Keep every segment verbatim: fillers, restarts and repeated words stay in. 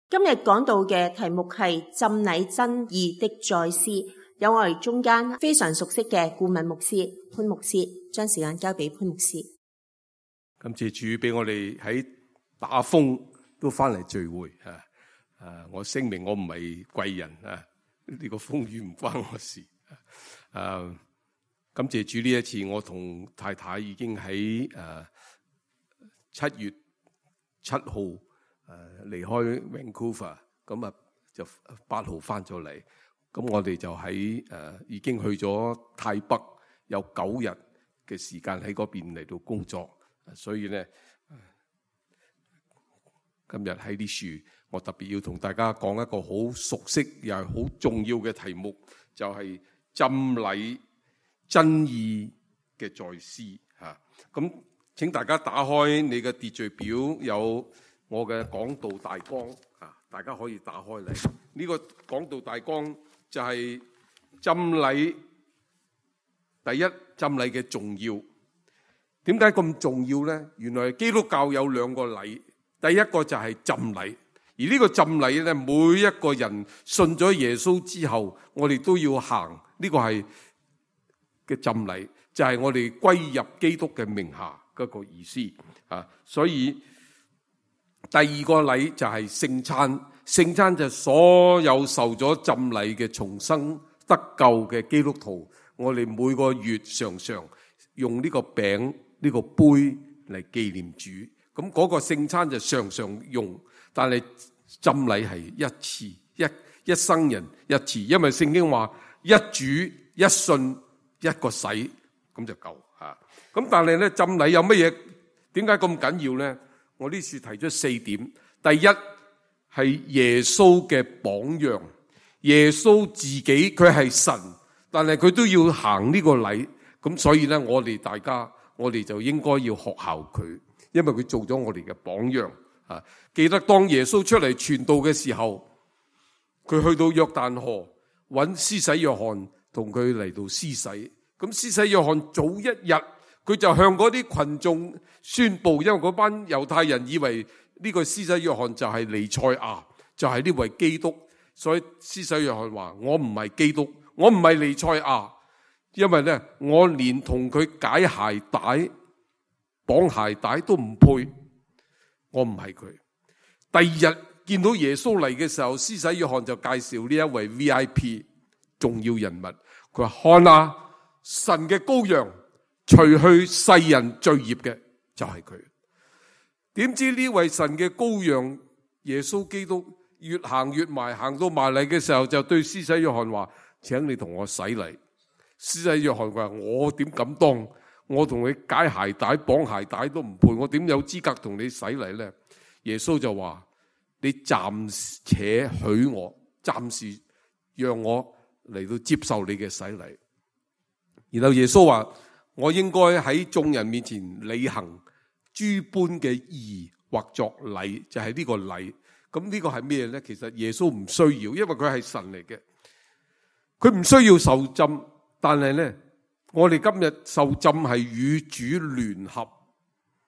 今日講到嘅題目係浸禮真義的再思，有我哋中間非常熟悉嘅顧問牧師潘牧師，將時間交俾潘牧師。感謝主俾我哋喺打風都翻嚟聚會啊！啊，我聲明我唔係貴人啊，呢個風雨唔關我事啊。感謝主呢一次，我同太太已經喺誒七月七號誒離開 Vancouver， 咁啊就八號翻咗嚟。咁我哋就喺誒已經去咗泰北，有九日嘅時間喺嗰邊嚟到工作。所以咧，今日喺呢處，我特別要同大家講一個好熟悉又係好重要嘅題目，就係、是、浸禮真義嘅再思嚇。咁請大家打開你嘅秩序表，有我嘅講道大綱啊，大家可以打開嚟。呢、這個講道大綱就係浸禮，第一，浸禮嘅重要。點解咁重要呢？原來基督教有兩個禮，第一個就係浸禮，而呢個浸禮咧，每一個人信咗耶穌之後，我哋都要行呢、這個係嘅浸禮，就係、是、我哋歸入基督嘅名下嗰個意思啊。所以第二個禮就係聖餐，聖餐就係所有受咗浸禮嘅重生得救嘅基督徒，我哋每個月常常用呢個餅。呢個杯嚟紀念主，咁嗰個聖餐就常常用，但係浸禮係一次，一一生人一次，因為聖經話一主一信一個洗咁就夠吓。咁但係咧浸禮有乜嘢？點解咁緊要咧？我呢次提出四點。第一係耶穌嘅榜樣，耶穌自己佢係神，但係佢都要行呢個禮，咁所以咧我哋大家。我哋就應該要學效佢，因為佢做咗我哋嘅榜樣啊！記得當耶穌出嚟傳道嘅時候，佢去到約旦河揾施洗約翰，同佢嚟到施洗。咁施洗約翰早一日，佢就向嗰啲群眾宣布，因為嗰班猶太人以為呢個施洗約翰就係彌賽亞，就係呢位基督，所以施洗約翰話：我唔係基督，我唔係彌賽亞。因為咧，我連同佢解鞋帶、綁鞋帶都唔配，我唔係佢。第二日見到耶穌嚟嘅時候，施洗約翰就介紹呢一位 V I P 重要人物。佢話：看啊，神嘅羔羊，除去世人罪孽嘅就係佢。點知呢位神嘅羔羊耶穌基督越行越埋，行到埋嚟嘅時候，就對施洗約翰話：請你同我洗禮。施洗約翰話：我點敢當？我同你解鞋帶、綁鞋帶都唔配，我點有資格同你洗禮呢？耶穌就話：你暫且許我，暫時讓我嚟到接受你嘅洗禮。然後耶穌話：我應該喺眾人面前履行諸般嘅義或作禮，就係呢個禮。咁呢個係咩呢？其實耶穌唔需要，因為佢係神嚟嘅，佢唔需要受浸。但係咧，我哋今日受浸係與主聯合，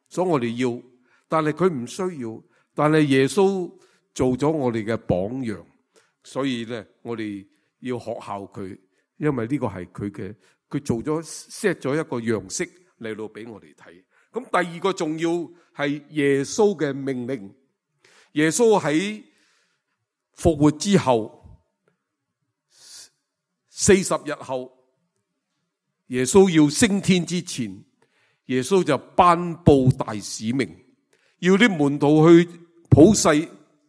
所以我哋要。但係佢唔需要，但係耶穌做咗我哋嘅榜樣，所以咧，我哋要學效佢，因為呢個係佢嘅，佢做咗 set 咗一個樣式嚟到俾我哋睇。咁第二個重要係耶穌嘅命令。耶穌喺復活之後四十日後。耶穌要升天之前，耶穌就頒布大使命，要啲門徒去普世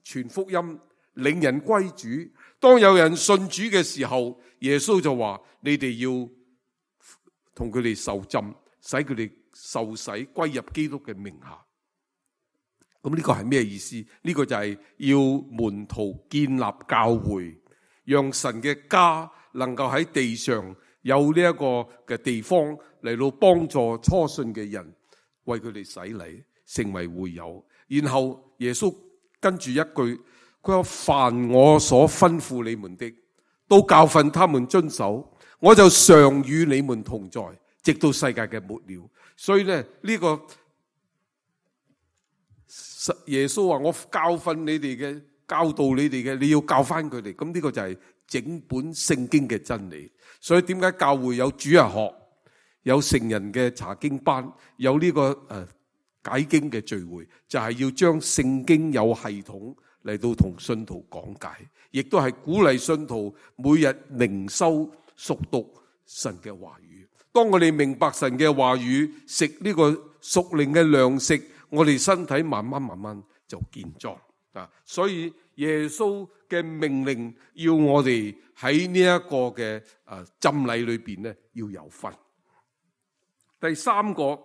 傳福音，領人歸主。當有人信主嘅時候，耶穌就話：你哋要同佢哋受浸，使佢哋受洗歸入基督嘅名下。咁呢個係咩意思？呢、這個就係要門徒建立教會，讓神嘅家能夠喺地上。有呢一個嘅地方嚟到幫助初信嘅人，為佢哋洗禮，成為會友。然後耶穌跟住一句，佢話：凡我所吩咐你們的，都教訓他們遵守，我就常與你們同在，直到世界嘅末了。所以咧，呢、這個耶穌話：我教訓你哋嘅。教導你哋嘅，你要教翻佢哋。咁呢個就係整本聖經嘅真理。所以點解教會有主日學，有成人嘅查經班，有呢個誒解經嘅聚會，就係要將聖經有系統嚟到同信徒講解，亦都係鼓勵信徒每日靈修熟讀神嘅話語。當我哋明白神嘅話語，食呢個屬靈嘅糧食，我哋身體慢慢慢慢就健壯啊！所以耶穌嘅命令要我哋喺呢一個嘅誒浸禮裏邊咧要有份。第三個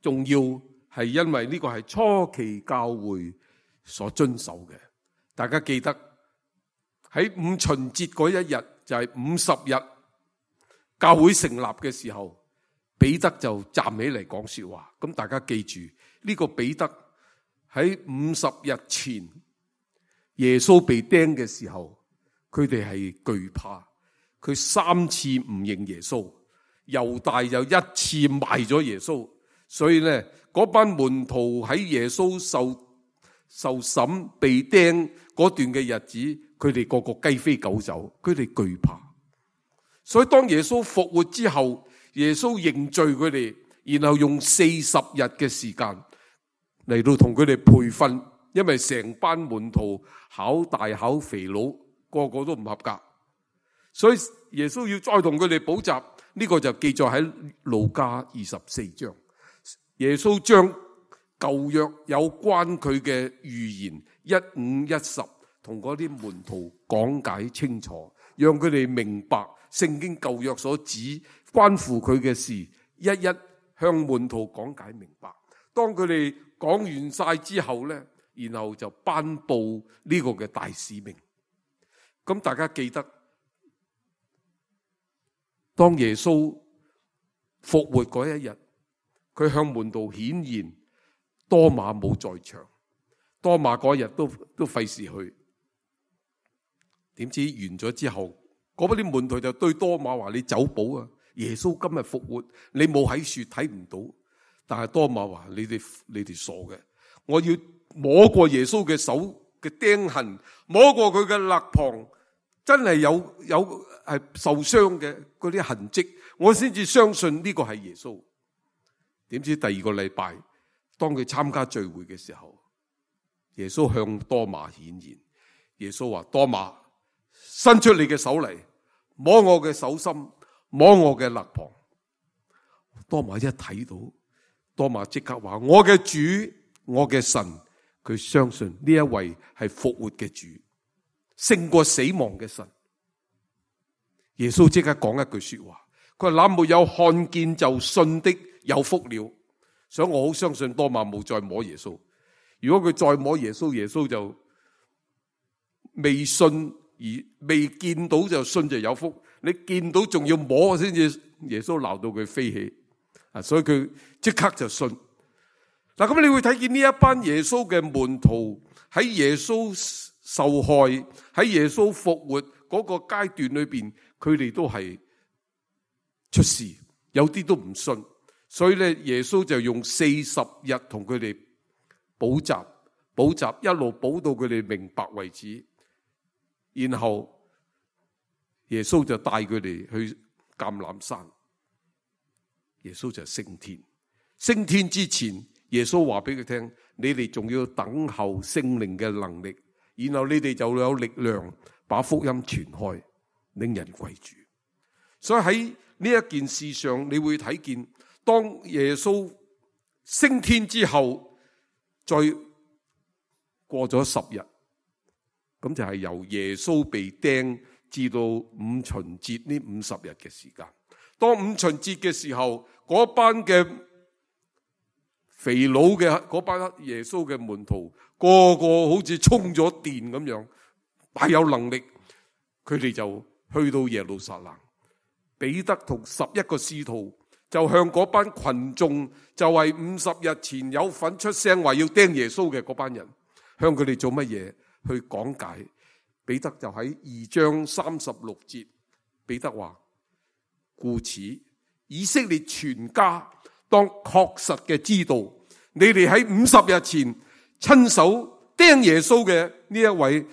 重要係因為呢個係初期教會所遵守嘅。大家記得喺五旬節嗰一日，就係五十日教會成立嘅時候，彼得就站起嚟講說話。咁大家記住呢個彼得喺五十日前耶穌被釘嘅時候，佢哋係懼怕，佢三次唔認耶穌，猶大又一次賣咗耶穌。所以咧嗰班門徒喺耶穌受受審被釘嗰段嘅日子，佢哋個個雞飛狗走，佢哋懼怕。所以當耶穌復活之後，耶穌認罪佢哋，然後用四十日嘅時間嚟到同佢哋培訓，因為成班門徒考大考肥佬，個個都唔合格，所以耶穌要再同佢哋補習。呢個就記載喺路加二十四章。耶穌將舊約有關佢嘅預言一五一十同嗰啲門徒講解清楚，讓佢哋明白聖經舊約所指關乎佢嘅事，一一向門徒講解明白。當佢哋講完晒之後呢，然後就頒布呢個嘅大使命。咁大家記得，當耶穌復活嗰一日，佢向門徒顯現，多馬冇在場，多馬嗰日都都費事去。點知完咗之後，嗰啲門徒就對多馬話：你走寶啊！耶穌今日復活，你冇喺樹睇唔到。但係多馬話：你哋你哋傻嘅，我要摸過耶穌嘅手嘅釘痕，摸過佢嘅肋旁，真係有有係受傷嘅嗰啲痕跡，我先至相信呢個係耶穌。點知第二個禮拜，當佢參加聚會嘅時候，耶穌向多馬顯現。耶穌話：多馬，伸出你嘅手嚟，摸我嘅手心，摸我嘅肋旁。多馬一睇到，多馬即刻話：我嘅主，我嘅神。佢相信呢一位係復活嘅主，勝過死亡嘅神。耶穌即刻講一句說話，佢話：那沒有看見就信的有福了。所以我好相信多馬冇再摸耶穌。如果佢再摸耶穌，耶穌就未信而未見到就信就有福。你見到仲要摸先至，耶穌鬧到佢飛起啊！所以佢即刻就信。嗱，咁你會睇見呢一班耶穌嘅門徒喺耶穌受害、喺耶穌復活嗰個階段裏邊，佢哋都係出事，有啲都唔信。所以咧，耶穌就用四十日同佢哋補習，補習一路補到佢哋明白為止。然後耶穌就帶佢哋去橄欖山，耶穌就升天。升天之前，耶穌話俾佢聽：你哋仲要等候聖靈嘅能力，然後你哋就有力量把福音傳開，令人歸主。所以喺呢一件事上，你會睇見，當耶穌升天之後，再過咗十日，咁就係由耶穌被釘至到五旬節呢五十日嘅時間。當五旬節嘅時候，嗰班嘅肥佬嘅嗰班耶穌嘅門徒，個個好似充咗電咁樣，大有能力。佢哋就去到耶路撒冷，彼得同十一個使徒就向嗰班群眾，就係五十日前有份出聲話要釘耶穌嘅嗰班人，向佢哋做乜嘢？去講解。彼得就喺二章三十六節，彼得話：故此以色列全家當確實嘅知道，你哋喺五十日前親手釘耶穌嘅呢一位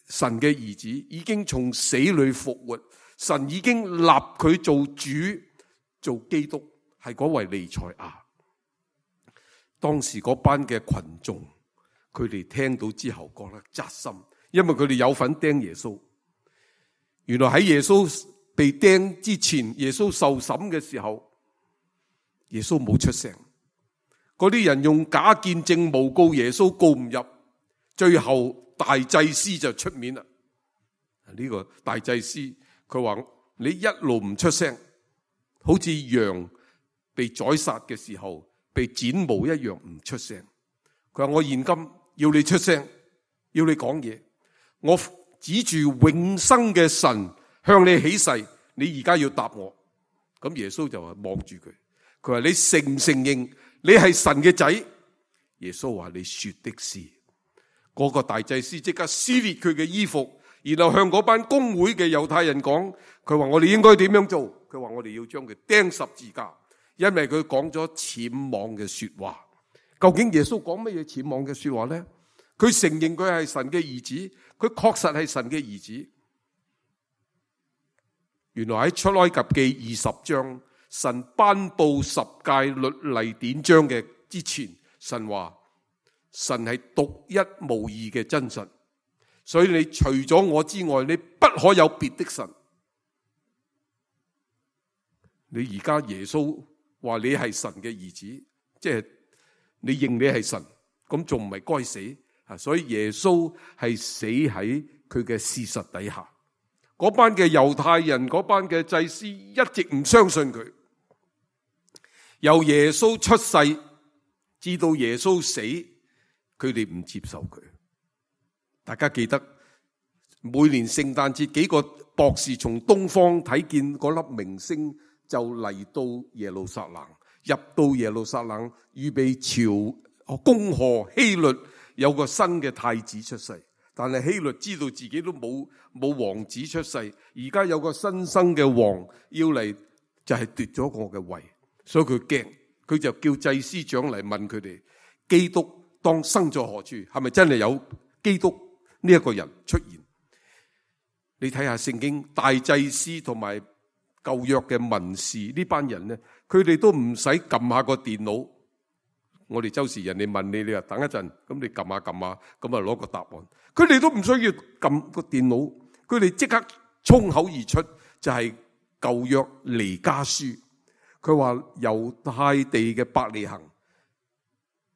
神嘅兒子已經從死裏復活，神已經立佢做主，做基督，係嗰位彌賽亞。當時嗰班嘅群眾，佢哋聽到之後覺得扎心，因為佢哋有份釘耶穌。原來喺耶穌被釘之前，耶穌受審嘅時候，耶穌冇出聲。嗰啲人用假見證誣告耶穌，告唔入，最後大祭司就出面啦。呢個大祭司佢話：你一路唔出聲，好似羊被宰殺嘅時候被剪毛一樣唔出聲。佢話：我現今要你出聲，要你講嘢。我指住永生嘅神向你起誓，你而家要答我。咁耶穌就話望住佢，佢話：你承唔承認你係神嘅仔？耶穌話：你說的是。嗰、那個大祭司即刻撕裂佢嘅衣服，然後向嗰班公會嘅猶太人講，佢話：我哋應該點樣做？佢話：我哋要將佢釘十字架，因為佢講咗僭妄嘅說話。究竟耶穌講乜嘢僭妄嘅說話呢？佢承認佢係神嘅兒子，佢確實係神嘅兒子。原來喺出埃及記二十章，神頒布十誡律例典章嘅之前，神話神係獨一無二嘅真神，所以你除咗我之外，你不可有別的神。你而家耶穌話你係神嘅兒子，即係你認你係神，咁仲唔係該死啊？所以耶穌係死喺佢嘅事實底下。嗰班嘅猶太人，嗰班嘅祭司一直唔相信佢。由耶穌出世至到耶穌死，佢哋唔接受佢。大家記得每年聖誕節，幾個博士從東方睇見嗰粒明星，就嚟到耶路撒冷，入到耶路撒冷，預備朝恭賀希律有個新嘅太子出世。但係希律知道自己都冇冇王子出世，而家有個新生嘅王要嚟，就係奪咗我嘅位，所以佢驚，佢就叫祭司長嚟問佢哋：基督當生在何處？係咪真係有基督呢一個人出現？你睇下聖經，大祭司同埋舊約嘅文士呢班人咧，佢哋都唔使撳下個電腦。我哋周時人哋問你，你話等一陣，咁你撳下撳下，咁啊攞個答案。佢哋都唔需要撳個電腦，佢哋即刻衝口而出，就係舊約彌迦書。佢話猶太地嘅伯利恆，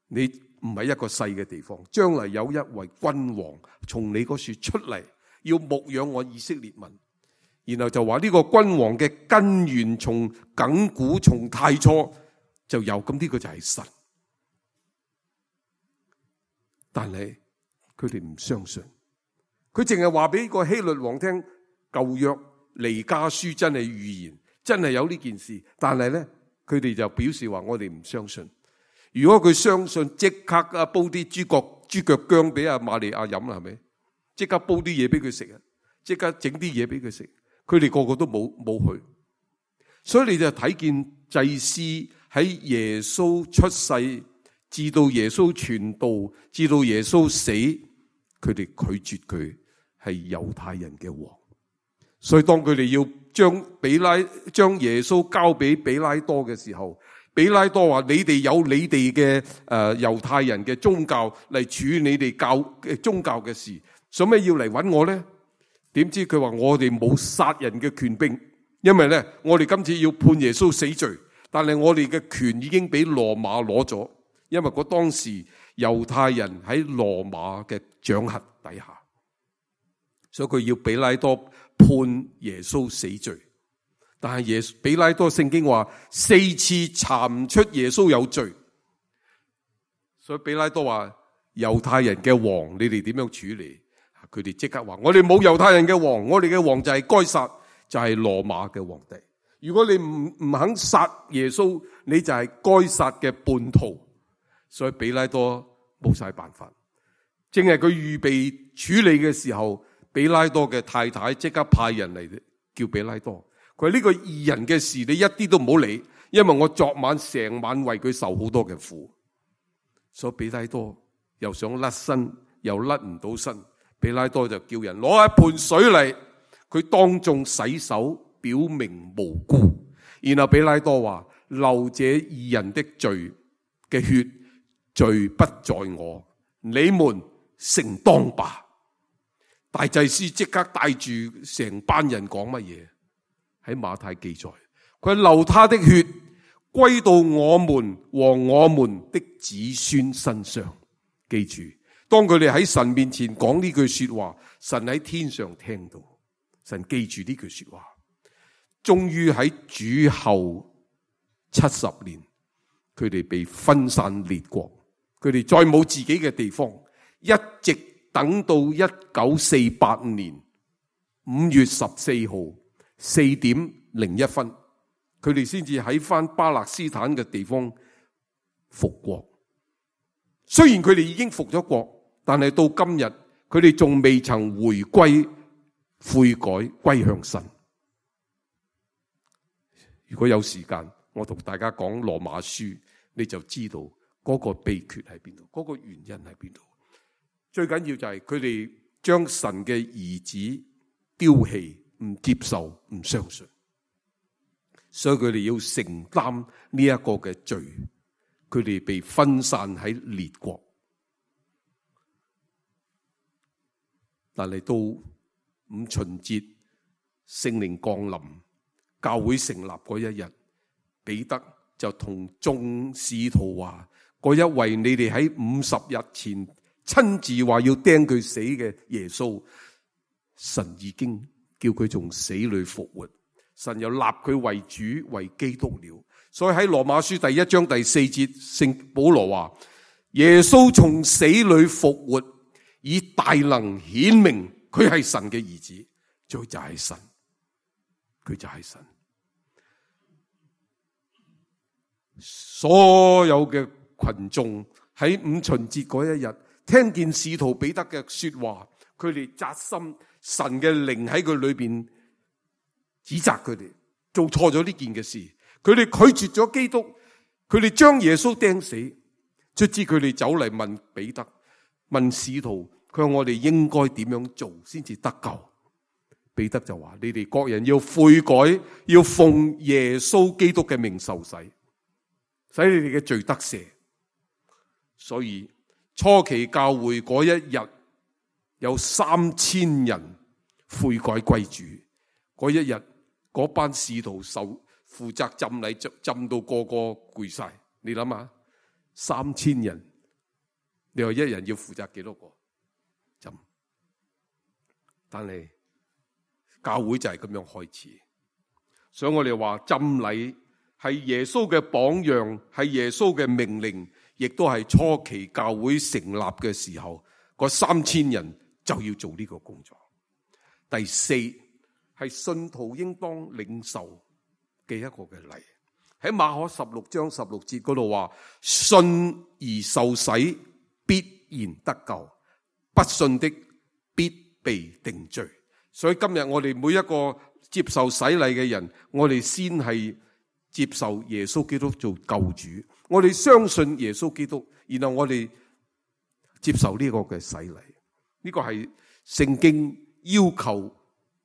你唔係一個細嘅地方，將來有一位君王從你嗰處出嚟，要牧養我以色列民。然後就話呢個君王嘅根源從亙古從太初就有，咁呢個就係神。但係佢哋唔相信，佢淨係話俾個希律王聽，舊約彌迦書真係預言，真係有呢件事。但係咧，佢哋就表示話我哋唔相信。如果佢相信，即刻啊煲啲豬腳豬腳薑俾阿瑪利亞飲啦，係咪？即刻煲啲嘢俾佢食啊！即刻整啲嘢俾佢食。佢哋個個都冇冇去，所以你就睇見祭司喺耶穌出世，至到耶穌傳道，至到耶穌死，佢哋拒絕佢係猶太人嘅王。所以當佢哋要將比拉將耶穌交俾比拉多嘅時候，比拉多話：你哋有你哋嘅誒猶太人嘅宗教嚟處你哋教嘅宗教嘅事，做咩要嚟揾我咧？點知佢話我哋冇殺人嘅權柄，因為咧我哋今次要判耶穌死罪，但係我哋嘅權已經俾羅馬攞咗，因為嗰當時猶太人喺羅馬嘅掌轄底下，所以佢要比拉多判耶穌死罪。但係耶比拉多聖經話四次查唔出耶穌有罪，所以比拉多話猶太人嘅王，你哋點樣處理？佢哋即刻話：我哋冇猶太人嘅王，我哋嘅王就係該撒，就係羅馬嘅皇帝。如果你唔唔肯殺耶穌，你就係該撒嘅叛徒。所以比拉多冇晒辦法，正係佢預備處理嘅時候，比拉多嘅太太即刻派人嚟叫比拉多。佢話呢個義人嘅事，你一啲都唔好理，因為我昨晚成晚為佢受好多嘅苦。所以比拉多又想甩身，又甩唔到身。彼拉多就叫人攞一盆水嚟，佢當眾洗手，表明無辜。然後彼拉多話：流這義人的罪嘅血，罪不在我，你們承當吧。大祭司即刻帶住成班人講乜嘢？喺馬太記載，佢流他的血歸到我們和我們的子孫身上。記住，當佢哋喺神面前講呢句說話，神喺天上聽到，神記住呢句說話。終於喺主後七十年，佢哋被分散列國，佢哋再冇自己嘅地方，一直等到一九四八年五月十四號四點零一分，佢哋先至喺翻巴勒斯坦嘅地方復國。雖然佢哋已經復咗國，但係到今日佢哋仲未曾回歸悔改歸向神。如果有時間，我同大家講羅馬書，你就知道嗰個秘訣喺邊度，嗰個原因喺邊度。最緊要就係佢哋將神嘅兒子丟棄，唔接受，唔相信，所以佢哋要承擔呢一個嘅罪。佢哋被分散喺列國，但係到五旬節聖靈降臨，教會成立嗰一日，彼得就同眾使徒話：嗰一位你哋喺五十日前親自話要釘佢死嘅耶穌，神已經叫佢從死裏復活，神又立佢為主為基督了。所以喺羅馬書第一章第四節，聖保羅話：耶穌從死裏復活，以大能顯明佢係神嘅兒子，佢就係神，佢就係神。所有嘅群眾喺五旬節嗰一日，聽見使徒彼得嘅說話，佢哋扎心，神嘅靈喺佢裏邊指責佢哋做錯咗呢件嘅事。佢哋拒絕咗基督，佢哋將耶穌釘死。卒之佢哋走嚟問彼得，問使徒，佢話我哋應該點樣做先至得救？彼得就話：你哋各人要悔改，要奉耶穌基督嘅名受洗，使你哋嘅罪得赦。所以初期教會嗰一日有三千人悔改歸主，嗰一日嗰班使徒受負責浸禮，浸到個個攰晒。你諗下，三千人，你話一人要負責幾多個浸？但係教會就係咁樣開始。所以我哋話浸禮係耶穌嘅榜樣，係耶穌嘅命令，亦都係初期教會成立嘅時候，嗰三千人就要做呢個工作。第四係信徒應當領受嘅一個嘅禮，喺馬可十六章十六節嗰度話：信而受洗必然得救，不信的必被定罪。所以今日我哋每一個接受洗禮嘅人，我哋先係接受耶穌基督做救主，我哋相信耶穌基督，然後我哋接受呢個嘅洗禮。呢個係聖經要求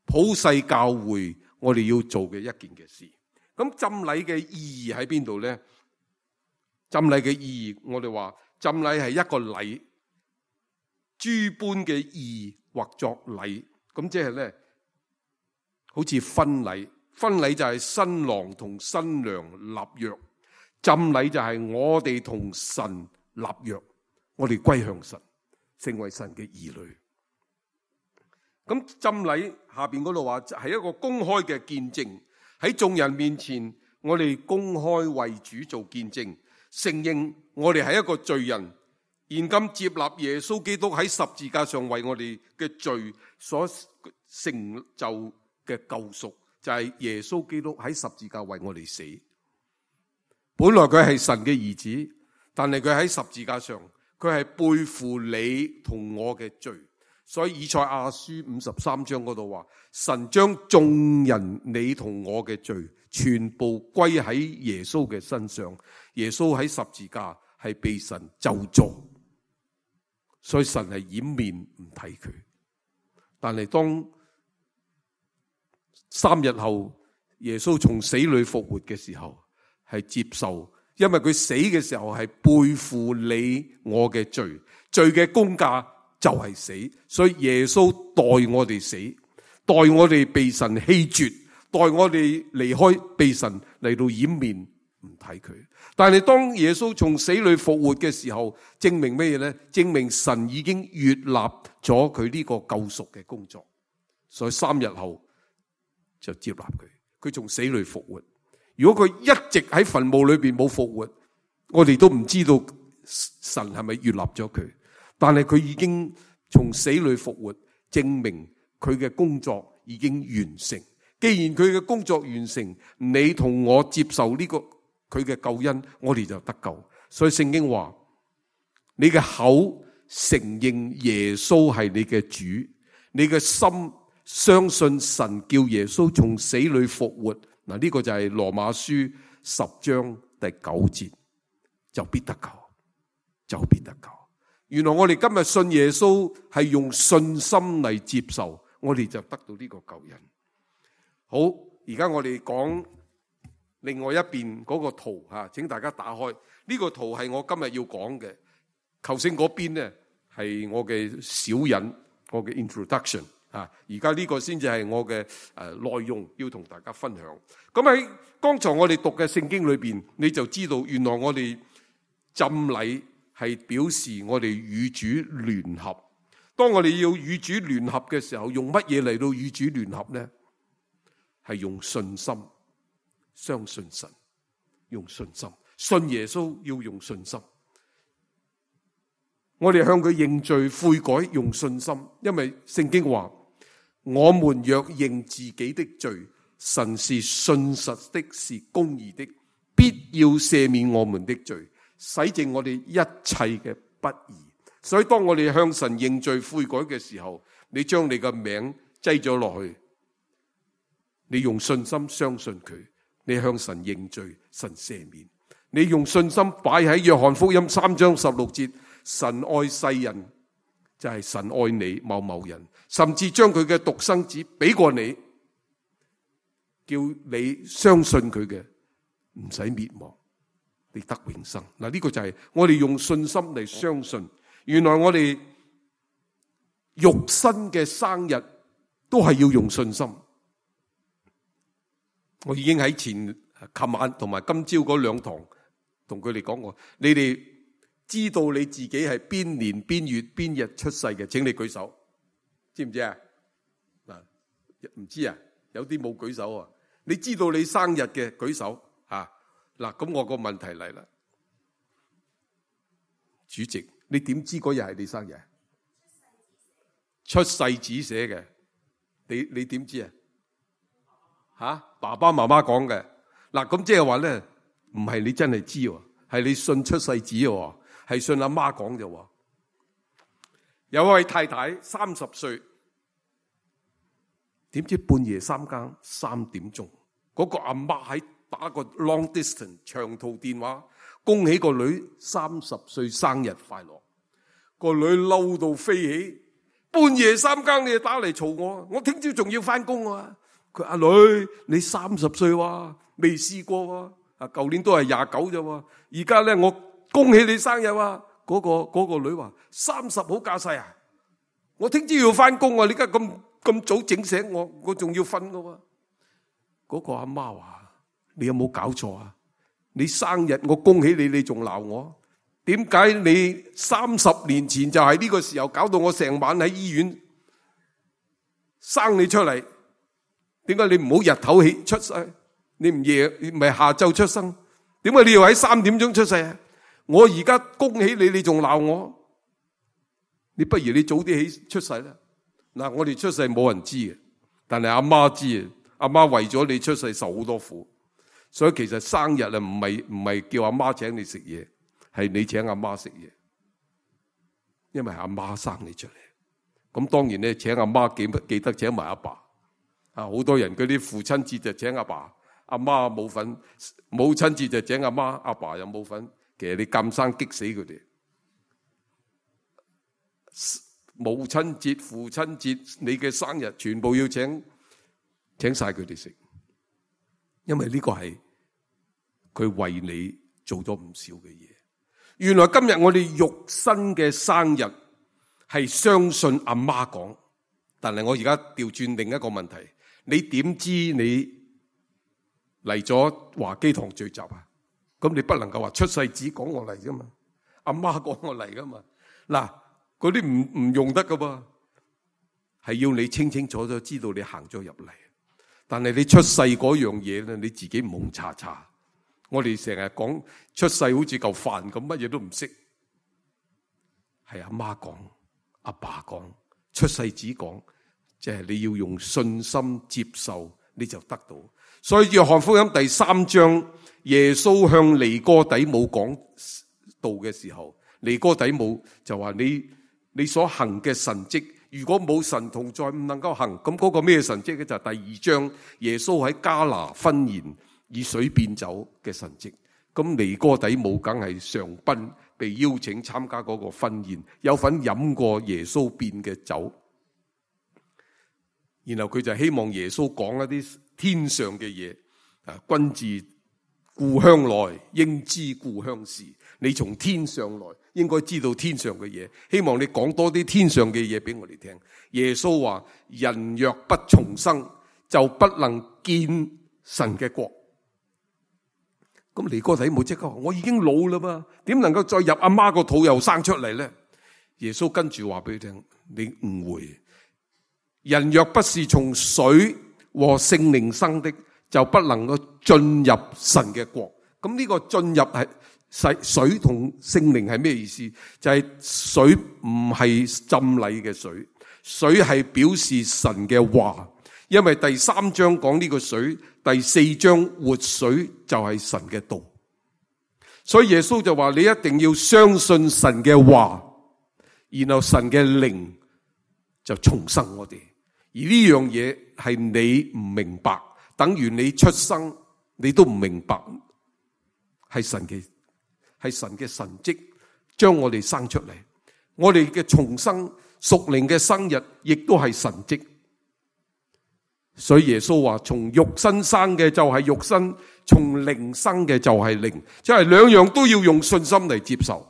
普世教會我哋要做嘅一件嘅事。咁浸禮嘅意義喺邊度咧？浸禮嘅意義，我哋話浸禮係一個禮，諸般嘅義或作禮。咁即係咧，好似婚禮，婚禮就係新郎同新娘立約，浸禮就係我哋同神立約，我哋歸向神，成為神嘅兒女。咁浸禮下邊嗰度話係一個公開嘅見證。喺眾人面前，我哋公開為主做見證，承認我哋係一個罪人，現今接納耶穌基督喺十字架上為我哋嘅罪所成就嘅救贖，就係耶穌基督喺十字架為我哋死。本來佢係神嘅兒子，但係佢喺十字架上，佢係背負你同我嘅罪。所以以賽亞書五十三章嗰度話，神將眾人你同我嘅罪全部歸喺耶穌嘅身上。耶穌喺十字架係被神咒詛，所以神係掩面唔睇佢。但係當三日後耶穌從死裏復活嘅時候，係接受，因為佢死嘅時候係背負你我嘅罪，罪嘅工價就係死，所以耶穌代我哋死，代我哋被神棄絕，代我哋離開，被神嚟到掩面唔睇佢。但係當耶穌從死裏復活嘅時候，證明咩嘢呢？證明神已經悅納咗佢呢個救贖嘅工作，所以三日後就接納佢，佢從死裏復活。如果佢一直喺墳墓裏邊冇復活，我哋都唔知道神係咪悅納咗佢。但係佢已經從死裏復活，證明佢嘅工作已經完成。既然佢嘅工作完成，你同我接受呢個佢嘅救恩，我哋就得救。所以聖經話，你嘅口承認耶穌係你嘅主，你嘅心相信神叫耶穌從死裏復活。嗱，呢個就係羅馬書十章第九節，就必得救，就必得救。原來我哋今日信耶穌係用信心嚟接受，我哋就得到呢個救恩。好，而家我哋講另外一邊嗰個圖吓，請大家打開呢個圖，係我今日要講嘅。頭先嗰邊呢係我嘅小引，我嘅 introduction 啊，而家呢個先至係我嘅誒內容，要同大家分享。咁喺剛才我哋讀嘅聖經裏邊，你就知道原來我哋浸禮係表示我哋與主聯合。當我哋要與主聯合嘅時候，用乜嘢嚟到與主聯合呢？係用信心，相信神，用信心，信耶穌要用信心。我哋向佢認罪悔改，用信心，因為聖經話，我們若認自己的罪，神是信實的，是公義的，必要赦免我們的罪，洗淨我哋一切嘅不義。所以當我哋向神認罪悔改嘅時候，你將你嘅名擠咗落去，你用信心相信佢，你向神認罪，神赦免。你用信心擺喺約翰福音三章十六節，神愛世人就係神愛你某某人，甚至將佢嘅獨生子俾過你，叫你相信佢嘅唔使滅亡，你得永生。嗱，呢個就係我哋用信心嚟相信。原來我哋肉身嘅生日都係要用信心。我已經喺前琴晚同埋今朝嗰兩堂同佢哋講過，你哋知道你自己係邊年邊月邊日出世嘅，請你舉手，知唔知啊？嗱，唔知啊，有啲冇舉手啊。你知道你生日嘅舉手啊。嗱，咁我個問題嚟啦，主席，你點知嗰日係你生日？出世紙寫嘅，你你點知啊？吓，爸爸媽媽講嘅。嗱，咁即係話咧，唔係你真係知喎，係你信出世紙喎，係信阿媽講啫。有位太太三十歲，點知半夜三更三點鐘，嗰個阿媽喺打個 long distance 長途電話，恭喜個女三十歲生日快樂。個女嬲到飛起，半夜三更你就打嚟嘈我，我聽朝仲要翻工啊！佢阿女，你三十歲哇，未試過喎，啊，舊年都係廿九啫，而家咧我恭喜你生日啊！嗰個嗰個女話三十好架勢啊！我聽朝要翻工啊！你而家咁咁早整醒我，我仲要瞓噶喎。嗰個阿媽話：你有冇搞錯啊？你生日我恭喜你，你仲鬧我？點解你三十年前就係呢個時候搞到我成晚喺醫院生你出嚟？點解你唔好日頭起出世？你唔夜唔係下晝出生？點解你要喺三點鐘出世啊？我而家恭喜你，你仲鬧我？你不如你早啲起出世啦。嗱，我哋出世冇人知嘅，但係阿媽知啊。阿媽為咗你出世受好多苦，所以其實生日啊唔係唔係叫阿媽請你食嘢，係你請阿媽食嘢，因為係阿媽生你出嚟。咁當然咧，請阿媽記記得請埋阿爸。啊，好多人嗰啲父親節就請阿爸，阿媽冇份；母親節就請阿媽，阿爸又冇份。其實你咁生激死佢哋。母親節、父親節、你嘅生日，全部要請請晒佢哋食，因為呢個係佢為你做咗唔少嘅嘢。原來今日我哋肉身嘅生日係相信阿媽講，但係我而家調轉另一個問題，你點知你嚟咗華基堂聚集啊？咁你不能夠話出世紙講我嚟噶嘛，阿媽講我嚟噶嘛。嗱，嗰啲唔唔用得噶噃，係要你清清楚楚知道你行咗入嚟。但係你出世嗰樣嘢咧，你自己蒙查查。我哋成日講出世好似嚿飯咁，乜嘢都唔識。係阿媽講，阿爸講，出世紙講，即係你要用信心接受，你就得到。所以約翰福音第三章，耶穌向尼哥底母講道嘅時候，尼哥底母就話：你你所行嘅神蹟，如果冇神同在，唔能夠行。咁嗰個咩神蹟咧？就係第二章耶穌喺迦拿婚筵以水變酒嘅神蹟。咁尼哥底母梗係上賓，被邀請參加嗰個婚宴，有份飲過耶穌變嘅酒。然後佢就希望耶穌講一啲天上嘅嘢。啊，君自故鄉來，應知故鄉事。你從天上來，應該知道天上嘅嘢。希望你講多啲天上嘅嘢俾我哋聽。耶穌話：人若不重生，就不能見神嘅國。咁尼哥底母即刻話：我已經老啦嘛，點能夠再入阿媽個肚又生出嚟咧？耶穌跟住話俾佢聽：你誤會，人若不是從水和聖靈生的，就不能夠進入神嘅國。咁呢個進入係水同聖靈係咩意思？就係、是、水唔係浸禮嘅水，水係表示神嘅話。因為第三章講呢個水，第四章活水就係神嘅道。所以耶穌就話：你一定要相信神嘅話，然後神嘅靈就重生我哋。而呢樣嘢係你唔明白，等於你出生你都唔明白，係神嘅係神嘅神蹟將我哋生出嚟。我哋嘅重生屬靈嘅生日亦都係神蹟。所以耶穌話：從肉身生嘅就係肉身，從靈生嘅就係靈，即係兩樣都要用信心嚟接受。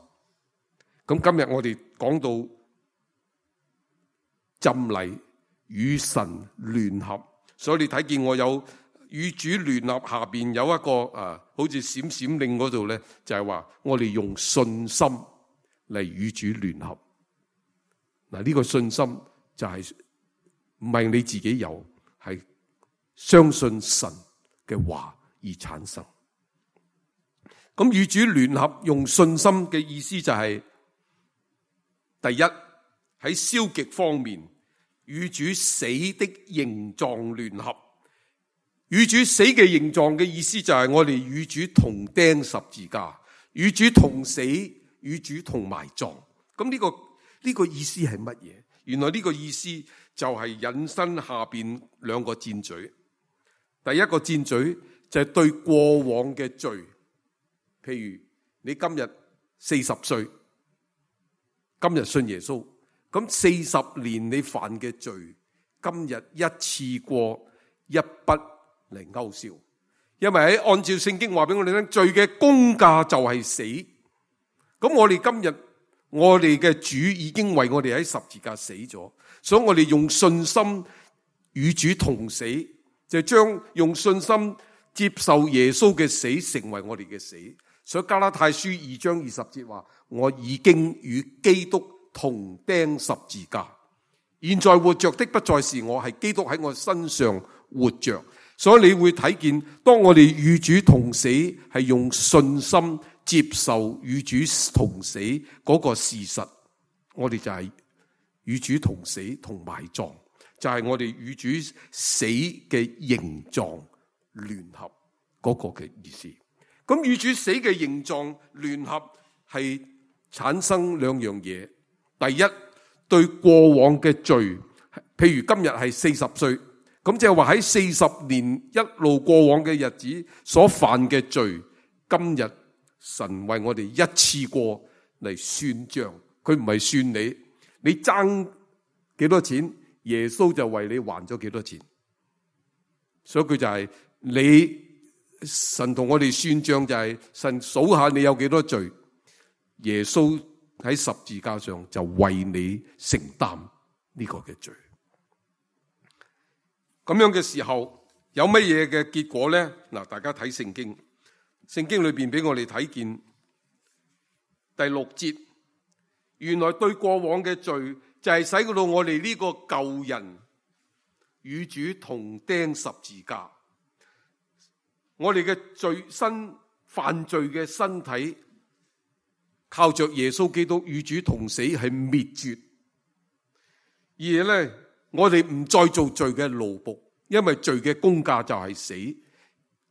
咁今日我哋講到浸禮與神聯合，所以你睇見我有與主聯合，下邊有一個啊，好似閃閃令嗰度咧，就係話我哋用信心嚟與主聯合。嗱，呢個信心就係唔係你自己有，係相信神嘅話而產生。咁與主聯合用信心嘅意思就係、是，第一喺消極方面與主死的形狀聯合。與主死嘅形狀嘅意思就係我哋與主同釘十字架，與主同死，與主同埋葬。咁呢、這個呢、這個意思係乜嘢？原來呢個意思就係引申下邊兩個箭嘴。第一個箭嘴就係對過往嘅罪，譬如你今日四十歲，今日信耶穌，咁四十年你犯嘅罪，今日一次過一筆嚟勾銷。因為喺按照聖經話俾我哋聽，罪嘅工價就係死。咁我哋今日我哋嘅主已經為我哋喺十字架死咗，所以我哋用信心與主同死，就將用信心接受耶穌嘅死成為我哋嘅死。所以加拉太書二章二十節話：我已經與基督同釘十字架，現在活着的不再是我，係基督喺我身上活着。所以你會睇見，當我哋與主同死，係用信心接受與主同死嗰個事實，我哋就係與主同死同埋葬，就係、是、我哋與主死嘅形狀聯合嗰個嘅意思。咁與主死嘅形狀聯合係產生兩樣嘢。第一，對過往嘅罪，譬如今日係四十歲，咁就係話喺四十年一路過往嘅日子所犯嘅罪，今日神為我哋一次過嚟算賬。佢唔係算你，你爭幾多錢，耶穌就為你還咗幾多錢。所以佢就係你神同我哋算賬，就係神數下你有幾多罪，耶穌喺十字架上就為你承擔呢個嘅罪。咁樣嘅時候有乜嘢嘅結果咧？嗱，大家睇聖經，聖經裏邊俾我哋睇見第六節，原來對過往嘅罪就係使到我哋呢個舊人與主同釘十字架，我哋嘅罪身犯罪嘅身體靠着耶穌基督與主同死係滅絕，而咧我哋唔再做罪嘅奴僕，因為罪嘅工價就係死。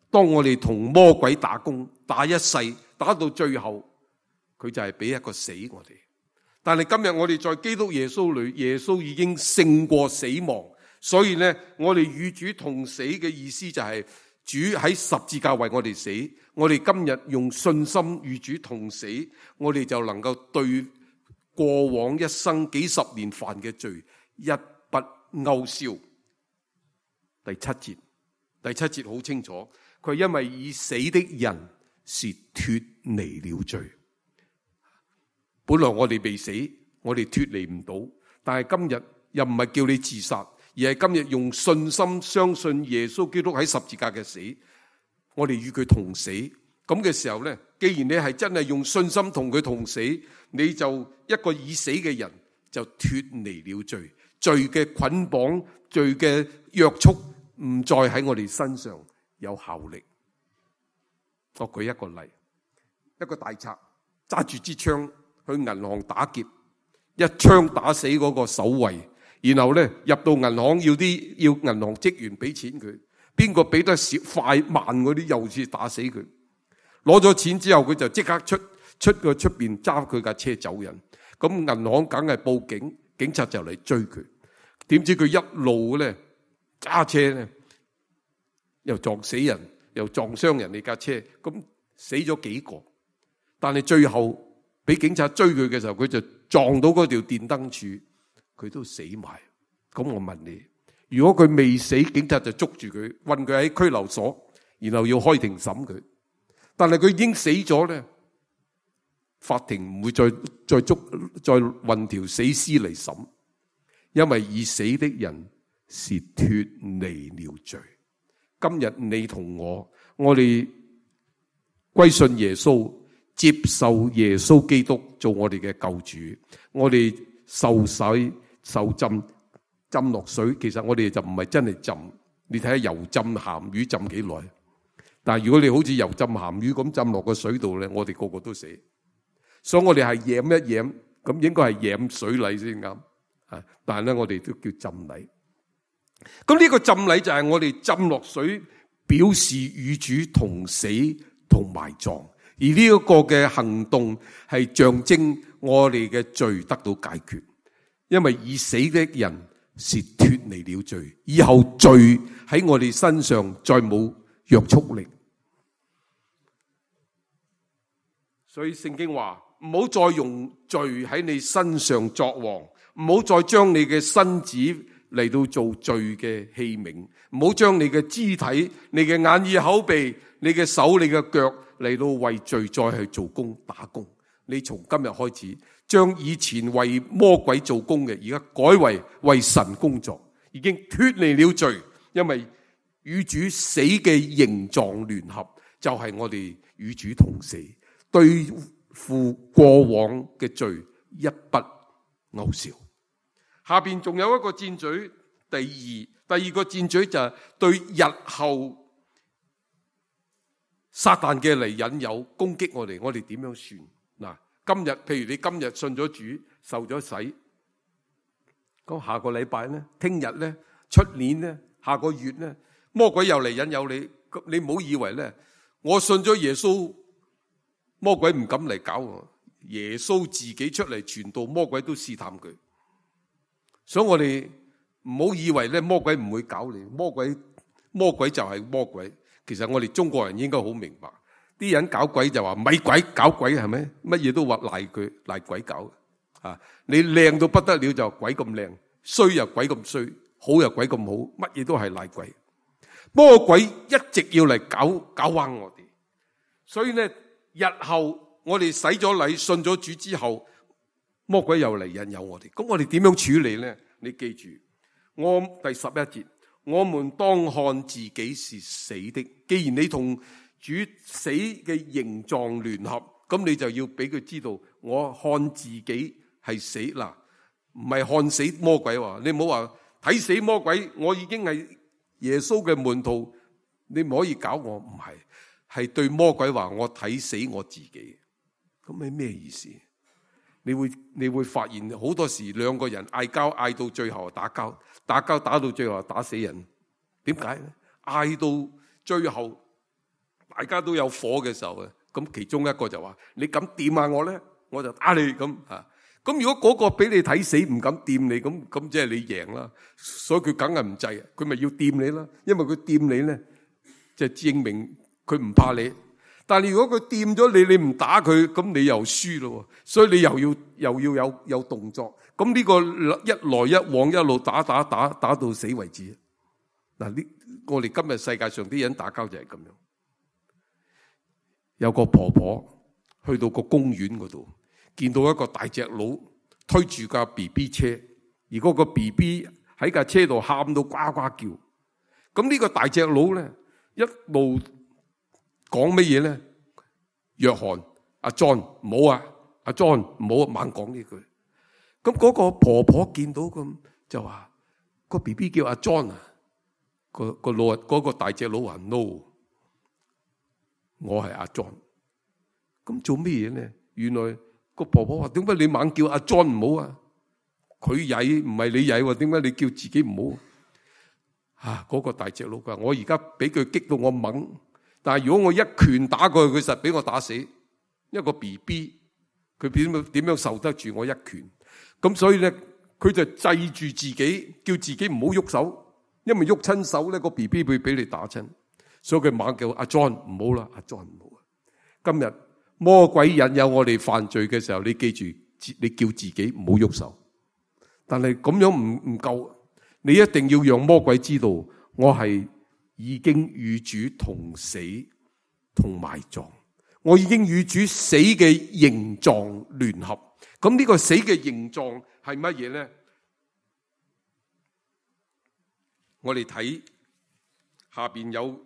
當我哋同魔鬼打工，打一世，打到最後，佢就係俾一個死我哋。但係今日我哋在基督耶穌裏，耶穌已經勝過死亡，所以咧我哋與主同死嘅意思就係主喺十字架為我哋死。我哋今日用信心與主同死，我哋就能夠對過往一生幾十年犯嘅罪一筆勾銷。第七節，第七節好清楚，佢因為已死的人是脫離了罪。本來我哋未死，我哋脫離唔到，但係今日又唔係叫你自殺，而係今日用信心相信耶穌基督喺十字架嘅死，我哋與佢同死。咁嘅時候呢，既然你係真係用信心同佢同死，你就一個已死嘅人就脫離了罪，罪嘅捆綁，罪嘅約束唔再喺我哋身上有效力。我舉一個例，一個大賊揸住支槍去銀行打劫，一槍打死嗰個守衛，然後咧入到銀行要啲要銀行職員俾錢佢，邊個俾得少快慢嗰啲又是打死佢。攞咗錢之後，佢就即刻出出個出邊揸佢架車走人。咁銀行梗係報警，警察就嚟追佢。點知佢一路咧揸車咧，又撞死人，又撞傷人哋架車，咁死咗幾個。但係最後俾警察追佢嘅時候，佢就撞到嗰條電燈柱，佢都死埋。咁我問你，如果佢未死，警察就捉住佢，韞佢喺拘留所，然後要開庭審佢。但係佢已經死咗咧，法庭唔會再再捉再運條死屍嚟審，因為已死的人是脫離了罪。今日你同我，我哋歸信耶穌，接受耶穌基督做我哋嘅救主，我哋受洗受浸浸落水，其實我哋就唔係真係浸。你睇下油浸鹹魚浸幾耐？但係如果你好似油浸鹹魚咁浸落個水度咧，我哋個個都死。所以我哋係染一染，咁應該係染水禮先啱。啊，但係咧我哋都叫浸禮。咁呢個浸禮就係我哋浸落水，表示與主同死同埋葬。而呢一個嘅行動係象徵我哋嘅罪得到解決，因為已死的人是脫離了罪，以後罪喺我哋身上再冇約束力。所以聖經話唔好再用罪喺你身上作王，唔好再將你嘅身子嚟到做罪嘅器皿，唔好將你嘅肢體、你嘅眼耳口鼻、你嘅手、你嘅腳嚟到為罪再去做工打工。你從今日開始，將以前為魔鬼做工嘅，而家改為為神工作，已經脫離了罪。因為與主死嘅形狀聯合，就係我哋與主同死，對付過往嘅罪一筆勾銷。下邊仲有一個箭嘴，第二第二個箭嘴就係對日後撒旦嘅嚟引誘攻擊我哋，我哋點樣算？嗱，今日譬如你今日信咗主，受咗洗，咁下個禮拜咧，聽日咧，出年咧，下個月咧，魔鬼又嚟引誘你，你唔好以為咧，我信咗耶穌，魔鬼唔敢嚟搞我，耶穌自己出嚟傳道，魔鬼都試探佢。所以我哋唔好以為咧，魔鬼唔會搞你，魔鬼魔鬼就係魔鬼。其實我哋中國人應該好明白，啲人搞鬼就話咪鬼搞鬼係咪？乜嘢都話賴佢賴鬼搞。啊！你靚到不得了就鬼咁靚，衰又鬼咁衰，好又鬼咁好，乜嘢都係賴鬼。魔鬼一直要嚟搞搞彎我哋，所以呢，日後我哋洗咗禮、信咗主之後，魔鬼又嚟引誘我哋。咁我哋點樣處理呢？你記住，我第十一節，我們當看自己是死的。既然你同主死嘅形狀聯合，咁你就要俾佢知道，我看自己係死嗱，唔係看死魔鬼喎。你唔好話睇死魔鬼，我已經係耶穌嘅門徒，你唔可以搞我。唔係，係對魔鬼話我睇死我自己。咁係咩意思？你會你會發現好多時兩個人嗌交，嗌到最後打交，打交打到最後打死人。點解咧？嗌到最後大家都有火嘅時候啊，咁其中一個就話：你敢掂下我咧，我就打你咁啊！咁如果嗰個俾你睇死唔敢掂你，咁咁即係你贏啦。所以佢梗係唔制，佢咪要掂你啦。因為佢掂你咧，即係證明佢唔怕你。但係如果佢掂咗你，你唔打佢，咁你又輸咯。所以你又要又要有有動作。咁呢個一來一往一路打打打打到死為止。嗱，呢我哋今日世界上啲人打交就係咁樣。有個婆婆去到個公園嗰度，見到一個大隻佬推住架 B B 車，而嗰個 B B 喺架車度喊到呱呱叫。咁呢個大隻佬咧一路講乜嘢咧？約翰，阿 John 唔好啊，阿 John 唔好猛講呢句。咁嗰個婆婆見到咁就話：個 B B 叫阿 John 啊，個個老嗰個大隻佬話 no， 我係阿 John。咁做咩嘢咧？原來個婆婆話：點解你猛叫阿 John 唔好啊？佢曳唔係你曳喎，點解你叫自己唔好？啊！嗰個大隻佬話：我而家俾佢激到我懵。但係如果我一拳打過去，佢實俾我打死。一個 B B， 佢點樣點樣受得住我一拳？咁所以咧，佢就制住自己，叫自己唔好喐手，因為喐親手咧，個 B B 會俾你打親。所以佢猛叫阿 John 唔好啦，阿 John 唔好。今日魔鬼引誘我哋犯罪嘅時候，你記住，你叫自己唔好喐手。但係咁樣唔唔夠，你一定要讓魔鬼知道，我係已經與主同死同埋葬，我已經與主死嘅形狀聯合。咁呢個死嘅形狀係乜嘢咧？我哋睇下邊有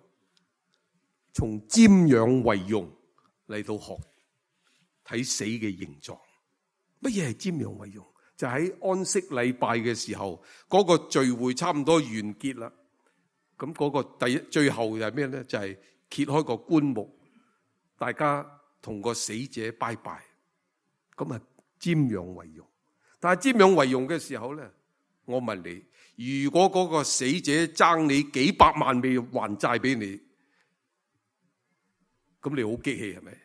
從瞻仰為容嚟到學睇死嘅形狀。乜嘢係瞻仰為容？就喺安息禮拜嘅時候，嗰個聚會差唔多完結啦。咁嗰個第一最後係咩咧？就係揭開個棺木，大家同個死者拜拜。咁啊，瞻仰為容。但係瞻仰為容嘅時候咧，我問你，如果嗰個死者爭你幾百萬未還債俾你，咁你好激氣係咪？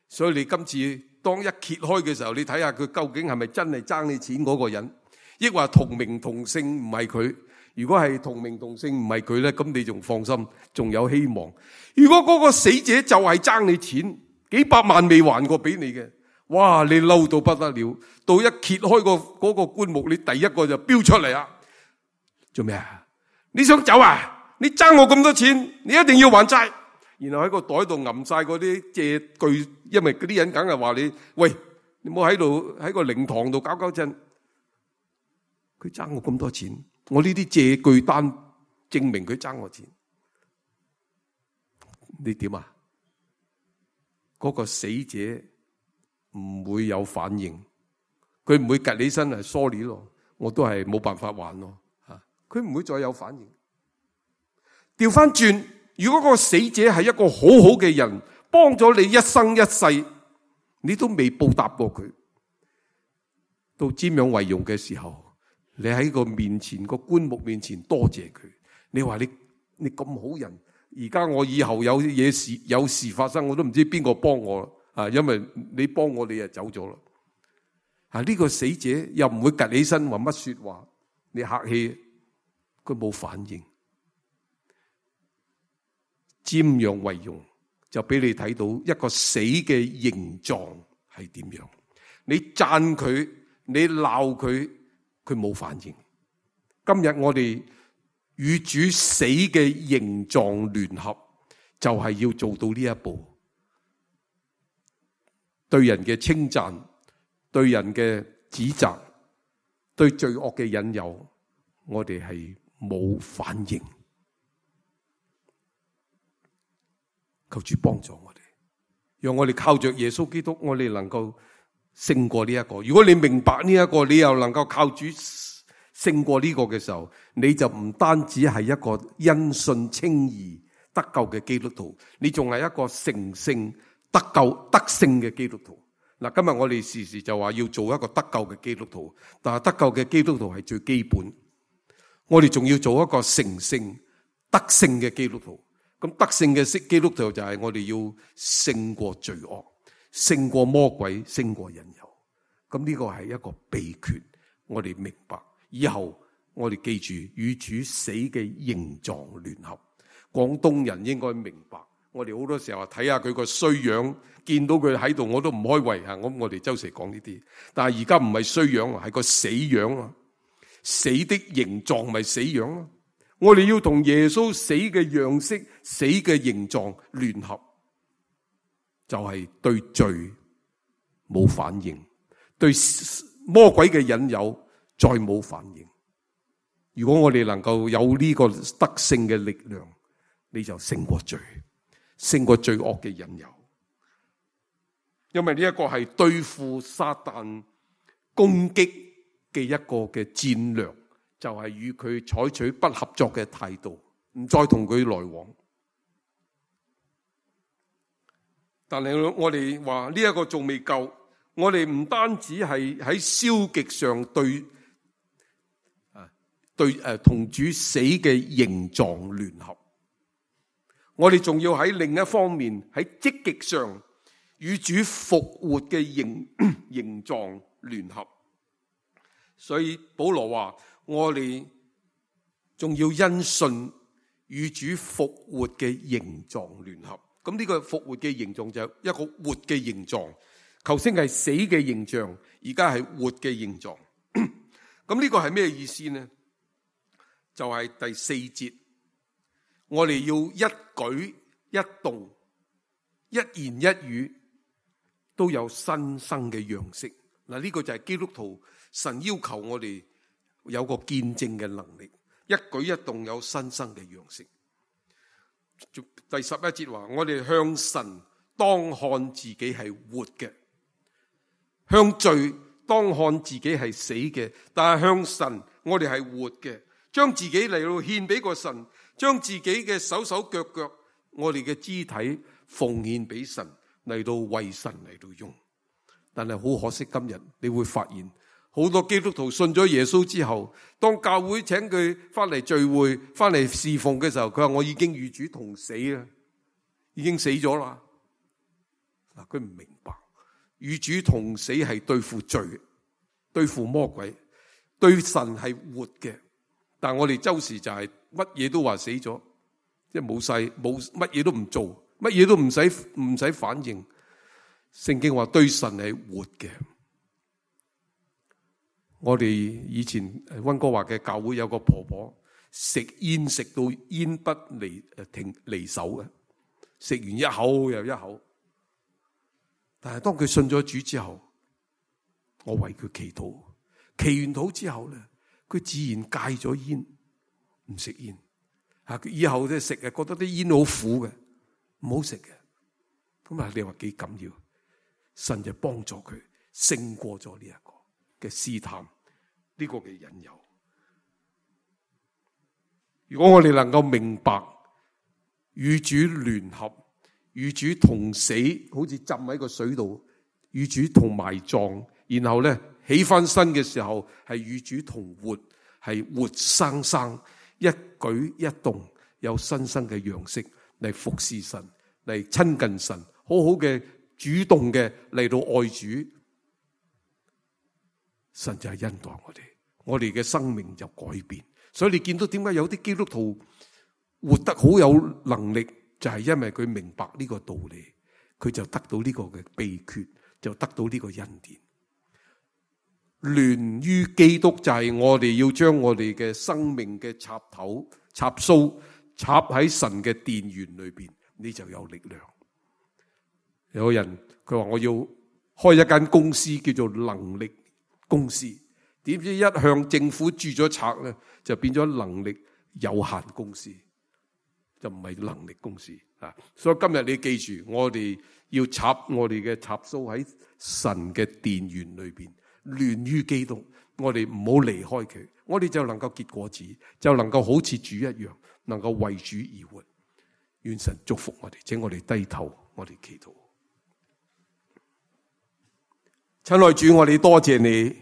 所以你今次當一揭開嘅時候，你睇下佢究竟係咪真係爭你錢嗰個人，抑或同名同姓唔係佢？如果係同名同姓唔係佢咧，咁你仲放心，仲有希望。如果嗰個死者就係爭你錢，幾百萬未還過俾你嘅，哇！你嬲到不得了，到一揭開個嗰個棺木，你第一個就飆出嚟啊！做咩啊？你想走啊？你爭我咁多錢，你一定要還債。然後喺個袋度揞晒嗰啲借據，因為嗰啲人梗係話你，喂，你唔好喺度喺個靈堂度搞搞震。佢爭我咁多錢。我呢啲借據單證明佢爭我錢，你點啊？嗰個死者唔會有反應，佢唔會趌起身係 sorry 咯，我都係冇辦法還咯吓，佢唔會再有反應。調翻轉，如果嗰個死者係一個好好嘅人，幫咗你一生一世，你都未報答過佢，到瞻仰為容嘅時候。你喺個面前個棺木面前多謝佢，你話你你咁好人，而家我以後有嘢事有事發生，我都唔知邊個幫我啊！因為你幫我，你就走咗啦。啊，呢個死者又唔會趌起身話乜說話，你客氣，佢冇反應。瞻仰為容，就俾你睇到一個死嘅形狀係點樣。你讚佢。你鬧佢，佢冇反應。今日我哋與主死嘅形狀聯合，就係要做到呢一步。對人嘅稱讚，對人嘅指責，對罪惡嘅引誘，我哋係冇反應。求主幫助我哋，讓我哋靠着耶穌基督，我哋能夠勝過呢一個。如果你明白呢一個，你又能夠靠主勝過呢個嘅時候，你就唔單止係一個因信稱義得救嘅基督徒，你仲係一個成聖得救得勝嘅基督徒。嗱，今日我哋時時就話要做一個得救嘅基督徒，但係得救嘅基督徒係最基本，我哋仲要做一個成聖得勝嘅基督徒。咁得勝嘅基督徒就係我哋要勝過罪惡，勝過魔鬼，勝過引誘。咁呢個係一個秘訣，我哋明白。以後我哋記住與主死嘅形狀聯合。廣東人應該明白，我哋好多時候睇下佢個衰樣，見到佢喺度我都唔開胃吓。我我哋周時講呢啲，但係而家唔係衰樣，係個死樣啊！死的形狀咪死樣咯。我哋要同耶穌死嘅樣式、死嘅形狀聯合，就係對罪冇反應，對魔鬼嘅引誘再冇反應。如果我哋能夠有呢個得勝嘅力量，你就勝過罪，勝過罪惡嘅引誘。因為呢一個係對付撒旦攻擊嘅一個嘅戰略，就係與佢採取不合作嘅態度，唔再同佢來往。但係我哋話呢一個仲未夠，我哋唔單止係喺消極上對啊對誒同主死嘅形狀聯合，我哋仲要喺另一方面喺積極上與主復活嘅形形狀聯合。所以保羅話，我哋仲要因信與主復活嘅形狀聯合。咁呢個復活嘅形狀就係一個活嘅形狀，頭先係死嘅形象，而家係活嘅形狀。咁呢個係咩意思呢？就係第四節，我哋要一舉一動、一言一語都有新生嘅樣式。嗱，呢個就係基督徒神要求我哋有個見證嘅能力，一舉一動有新生嘅樣式。第十一節話，我哋向神當看自己係活嘅，向罪當看自己係死嘅，但係向神我哋係活嘅，將自己嚟到獻俾個神，將自己嘅手手腳腳，我哋嘅肢體奉獻俾神，嚟到為神嚟到用。但係好可惜，今日你會發現好多基督徒信咗耶穌之後，當教會請佢翻嚟聚會、翻嚟侍奉嘅時候，佢話我已經與主同死啦，已經死咗啦。嗱，佢唔明白與主同死係對付罪、對付魔鬼，對神係活嘅。但係我哋周時就係乜嘢都話死咗，即係冇晒，冇乜嘢都唔做，乜嘢都唔使唔使反應。聖經話對神係活嘅。我哋以前溫哥華嘅教會有個婆婆食煙食到煙不離誒停離手嘅，食完一口又一口。但係當佢信咗主之後，我為佢祈禱，祈完禱之後咧，佢自然戒咗煙，唔食煙。啊，佢以後咧食啊，覺得啲煙好苦嘅，唔好食嘅。咁啊，你話幾緊要？神就幫助佢勝過咗呢一個嘅試探，呢個嘅引誘。如果我哋能夠明白與主聯合、與主同死，好似浸喺個水度，與主同埋葬，然後咧起翻身嘅時候係與主同活，係活生生一舉一動有新生嘅樣式嚟服侍神，嚟親近神，好好嘅主動嘅嚟到愛主，神就係恩待我哋，我哋嘅生命就改變。所以你見到點解有啲基督徒活得好有能力，就係因為佢明白呢個道理，佢就得到呢個嘅秘訣，就得到呢個恩典。聯於基督，就係我哋要將我哋嘅生命嘅插頭插蘇插喺神嘅電源裏邊，你就有力量。有個人佢話我要開一間公司叫做能力公司，點知一向政府注咗冊咧，就變咗能力有限公司，就唔係能力公司啊！所以今日你記住，我哋要插我哋嘅插蘇喺神嘅電源裏邊，聯於基督，我哋唔好離開佢，我哋就能夠結果子，就能夠好似主一樣，能夠為主而活。願神祝福我哋，請我哋低頭，我哋祈禱。親愛主，我哋多謝你，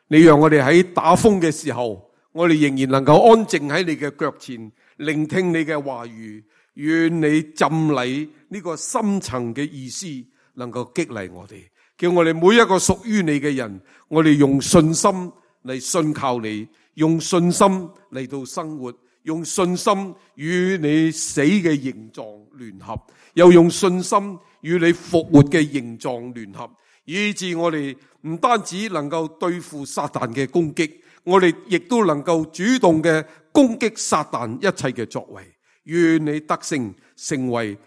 你讓我哋喺打風嘅時候，我哋仍然能夠安靜喺你嘅腳前，聆聽你嘅話語。願你浸禮呢個深層嘅意思，能夠激勵我哋，叫我哋每一個屬於你嘅人，我哋用信心嚟信靠你，用信心嚟到生活，用信心與你死嘅形狀聯合，又用信心與你復活嘅形狀聯合，以致我哋唔單止能夠對付撒旦嘅攻擊，我哋亦都能夠主動嘅攻擊撒旦一切嘅作為。願你得勝，成為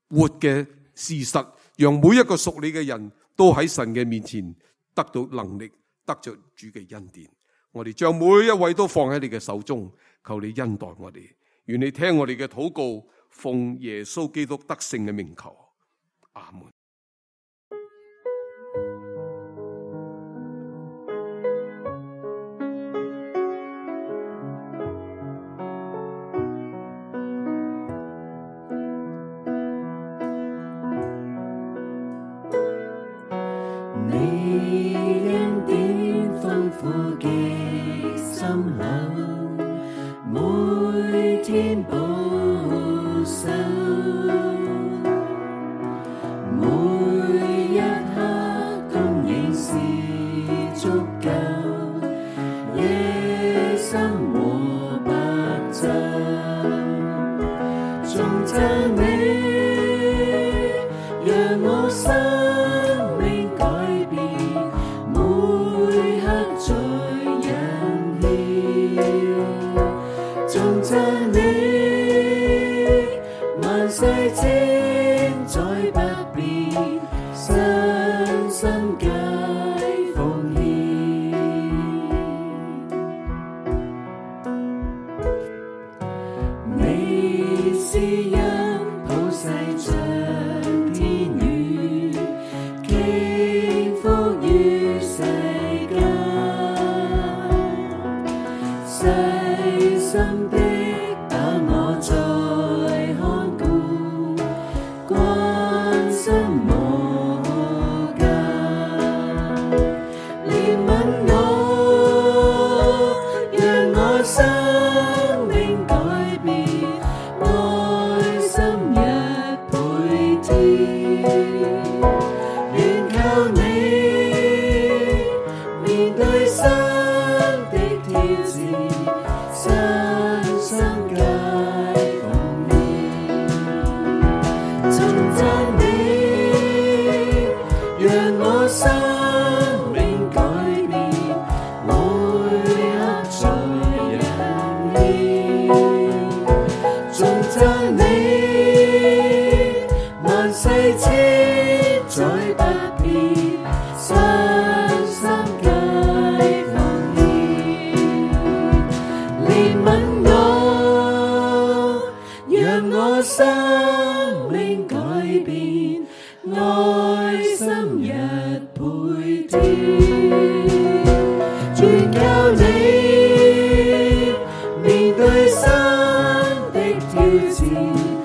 活嘅事實，讓每一個屬你嘅人都喺神嘅面前得到能力，得着主嘅恩典。我哋將每一位都放喺你嘅手中，求你恩待我哋。願你聽我哋嘅禱告，奉耶穌基督得勝嘅名求，阿門。面對新的挑戰。